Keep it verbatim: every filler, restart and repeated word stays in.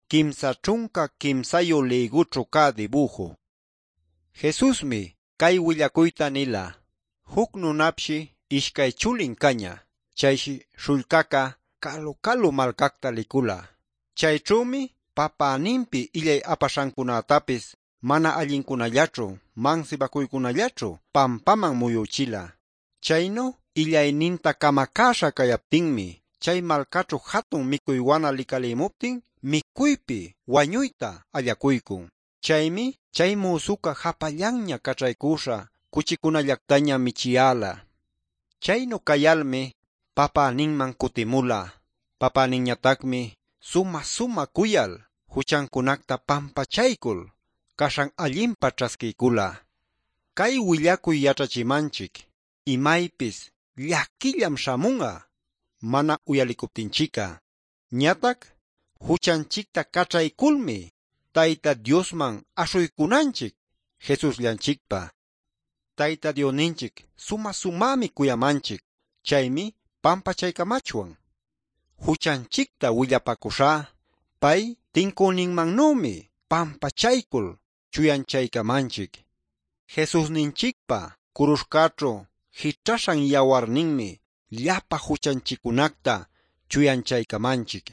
Kimsa ćhunca quimsayu lïgućhu cä dibuju. Jesusmi cay willacuyta nila: Juc nunapshi ishcay chulin cañä. Chayshi śhullcaca calu-calu malcacta licula. Chayćhümi papäninpi illay apaśhancunätapis mana allincunallaćhu mansibacuycunallaćhu pampaman muyüchila. Chaynu illayninta camacäśha cayaptinmi chay malcaćhu jatun micuy wana licalimuptin micuypi wañuyta allacuycun. Chaymi chay müsuca japallanña caćhaycüśha cuchicunallactaña michiyäla. Chaynu cayalmi papäninman cutimula. Papäninñatacmi sumä-sumä cuyal juchancunacta pampachaycul caśhan allinpa ćhasquiycula. Cay willacuy yaćhachimanchic imaypis llaquillam śhamun'a mana uyalicuptinchic'a. Ñatac juchanchicta caćhayculmi Tayta Diosman aśhuycunanchic Jesusllanchicpa. Tayta Diosninchic sumä-sumämi cuyamanchic. Chaymi pampachaycamachwan. Juchanchicta willapacuśhá pay tincüninmannümi pampachaycul chuyanchaycamanchic. Jesusninchicpa curuśhcäćhu jićhaśhan yawarninmi llapa juchanchiccunacta chuyanchaycamanchic.